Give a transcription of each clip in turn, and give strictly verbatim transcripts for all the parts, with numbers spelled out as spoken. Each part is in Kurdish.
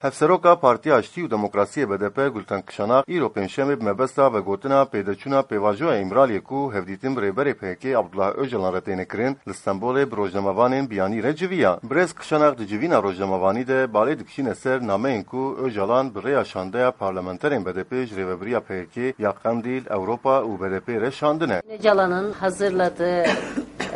Hevseroka Partiya Aştî û Demokrasiyê B D P Gulten Kişanak îro pêncşemê bi mebesta vegotina pêdeçûna pêvajoya Îmraliyê ku hevdîtin bi rêberê P K K Abdullah Ocalan re têne kirin, li Stenbolê bi rojnamevanên biyanî re civiya. Birêz Kişanak di civîna rojnamevanî de balê dikişîne ser nameyên ku Ocalan bi rêya şandeya parlamenterên B D P ji rêvebiriya P K K ya Qendîl, Ewropa û B D P re şandine. Öcalan'ın hazırladığı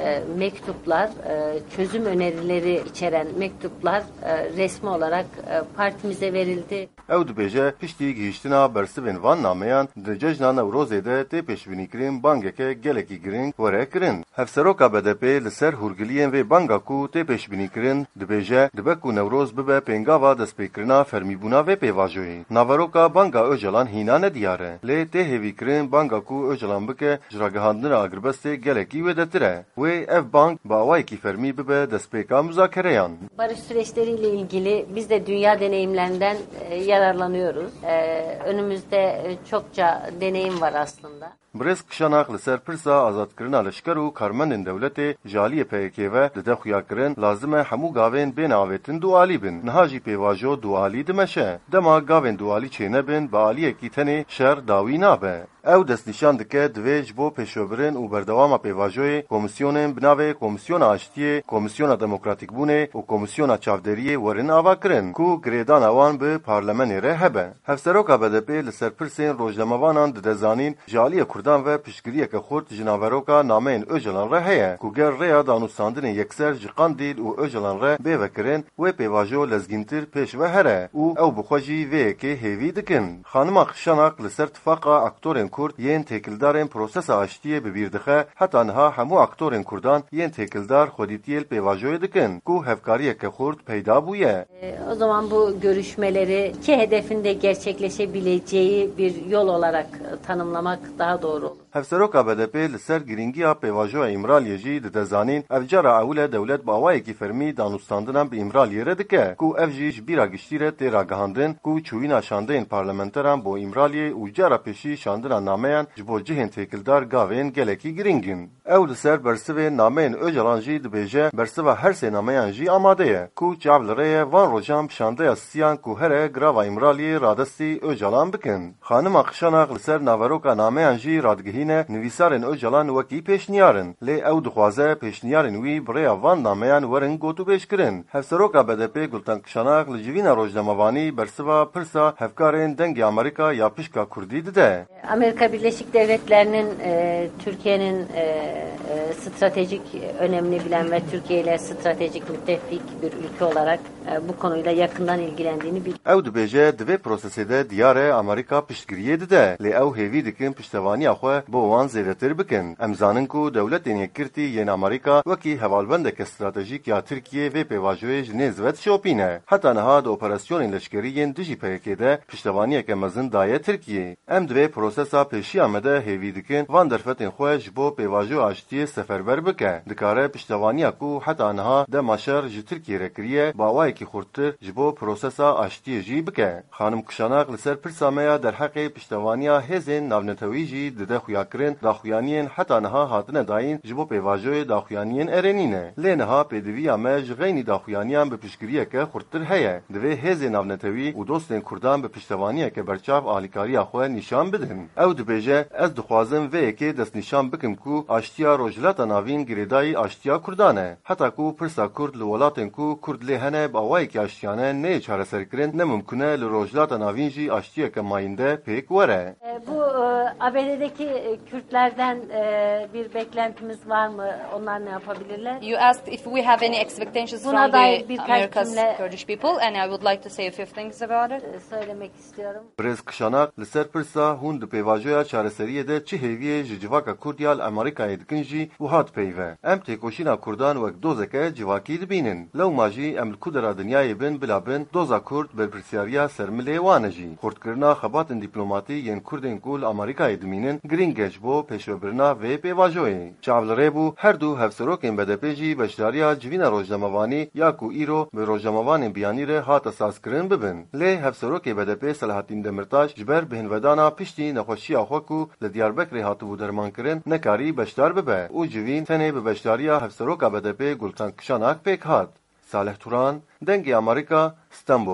e, mektuplar, e, çözüm önerileri içeren mektuplar e, resmi olarak e, partimize verildi. Ew dibêje, piştî gihîştina bersivên van nameyan di cejna Newrozê de tê pêşbînîkirin bangeke gelekî giring were kirin. Hevseroka B D P li ser hûrgiliyên vê banga ku tê pêşbînîkirin dibêje, dibe ku Newroz bibe pêngava destpêkirina fermîbûna vê pêvajoyê. Naveroka banga Ocalan hîna nediyar e, lê tê hêvîkirin banga ku Ocalan bike ji ragihandina agirbestê gelekî wêdetir e. Wê ev bang bi awayekî fermî bibe destpêka muzakereyan. Barış süreçleriyle ilgili biz de dünya deneyimlerinden e, yararlanıyoruz. E, önümüzde e, çokça deneyim var aslında. Birêz Kişanak li ser pirsa azadkirina leşker û karmendên dewletê ji aliyê P K K ve dide xuyakirin, lazim e hemû gavên bên avêtin dualî bin. Niha jî pêvajo dualî dimeşe. Dema gavên dualî çênebin, bi aliyekî tenê şer dawî nabe. Ew destnîşan dike, divê ji bo pêşvebirin û berdewama pêvajoyê komîsyonên bi navê Komîsyona Aştiyê, Komîsyona Demokratîkbûnê û Komîsyona Çavderiyê werin avakirin, ku girêdana wan bi parlemenê re hebe. Hevseroka B D P li ser pirsên rojnamevanan dide zanîn, ji aliyê Kurdan ve piştgiriyeke xurt ji naveroka nameyên Ocalan re heye, ku ger rêya danûstandinê yekser ji Qandîl û Ocalan re bê vekirin, wê pêvajo lezgîntir pêş ve here û ew bi xwe jî vê yekê hêvî dikin. Xanima Kişanak li ser tifaqa aktorên Kurd yên têkildarên prosesa aştiyê bi bîr dixe, heta niha hemû aktorên Kurdan yên têkildar xwedîtiyê li pêvajoyê dikin, ku hevkariyeke xurt peyda bûye. E, O zaman bu görüşmeleri ki hedefinde gerçekleşebileceği bir yol olarak e, tanımlamak daha doğru olur. Hevseroka B D P li ser girîngiya pêvajoya Îmraliyê jî dide zanîn, ev cara ewil e dewlet bi awayekî fermî danûstandinan bi Îmraliyê re dike, ku ev jî ji bîra giştî re tê ragihandin, ku çûyîna şandeyên parlamenteran bo Îmraliyê û cara pêşî şandina nameyan ji bo cihên têkildar gavên gelekî girîng in. Ew li ser bersivên nameyên Ocalan jî dibêje, bersiva her sê nameyan jî amade ye, ku çav li rê ye van rojan bi şandeya siyan ku here girava Îmraliyê radestî Ocalan bikin. Xanima Kişanak li ser naveroka nameyan jî radigihîne, nivîsarên Ocalan wekî pêşniyar in, lê ew dixwaze pêşniyarên wî bi rêya van nameyan werin gotûbêjkirin. Hevseroka B D P Gulten Kişanak li civîna rojnamevanî bersiva pirsa hevkarên Dengê Amerîka ya pişka Kurdî dide. Amerika Birleşik Devletleri'nin e, Türkiye'nin e, e, stratejik önemini bilen ve Türkiye ile stratejik müttefik bir ülke olarak e, bu konuyla yakından ilgilendiğini bil- Ew dibêje, di vê prosesê de diyar e Amerîka piştgiriyê dide, lê ew hêvî dikin piştevaniya xwe bo wan zêdetir bikin. Em zanin ku Dewletên Yekgirtî yên Amerîka wekî hevalbendeke stratejîk ya Tirkiyê vê pêvajoyê ji nêz ve dişopîne. Heta niha di operasyonên leşkerî yên dijî P K K de piştevaniyeke mezin daye Tirkiyê. Em di vê prosesa pêşiya me de hêvî dikin van derfetên xwe ji bo pêvajoya aştiyê seferber bike. Dikare piştevaniya ku heta niha dema şer ji Tirkiyê re kiriye, bi awayekî xurttir ji bo prosesa aştiyê jî bike. Xanim Kişanak li ser pirsa me ya derheqê piştevaniya hêzên navnetewî jî dide xuyakirin, daxuyaniyên heta niha hatine dayîn ji bo pêvajoyê daxuyaniyên erênî ne. Lê niha pêdiviya me ji xeynî daxuyaniyan bi piştgiriyeke xurttir heye. Divê hêzên navnetewî û dostên Kurdan bi piştevaniyeke berçav alîkariya xwe nîşan bidin. Ew dibêje, Ez dixwazim vê yekê destnîşan bikim ku aştiya Rojhilata Navîn girêdayî aştiya Kurdan e. Heta ku pirsa Kurd li welatên ku Kurd lê hene bi awayekî aştiyane neyê çareserkirin, ne mimkun e li Rojhilata Navîn jî aştiyeke mayînde pêk were. E, Bu e, A B D'deki e, Kürtlerden e, bir beklentimiz var mı? Onlar ne yapabilirler? You asked if we have any expectations Buna from dair the birkaç America's cümle Kurdish people, and I would like to say a few things about it. E, Söylemek istiyorum. Birêz Kişanak li ser pirsa hûn di pêvajoya çareseriyê de çi hêviyê ji civaka Kurd ya li Amerîkayê dikin jî wiha dipeyve, Em têkoşîna Kurdan wek dozeke civakî dibînin. Lewma jî em li ku dera dinyayê bin bila bin, doza Kurd berpirsyariya ser milê wan e jî. Xurtkirina xebatên dîplomatî yên Kurdên ku li Amerîkayê dimînin girîng e ji bo pêşvebirina vê pêvajoyê. Çav li rê bû, her du hevserokên B D P jî beşdariya civîna rojnamevanî ya ku îro bi rojnamevanên biyanî re hate sazkirin bibin. Lê hevserokê B D P Selahattin Demirtaş ji ber bêhnvedana piştî nexweşiya xwe ku li Diyarbekirê hatibû dermankirin, nekarî beşdar bibe û civîn tenê bi beşdariya hevseroka B D P Gultan Kişanak pêk hat. Salih Turan, Dengê Amerîka, Stenbol.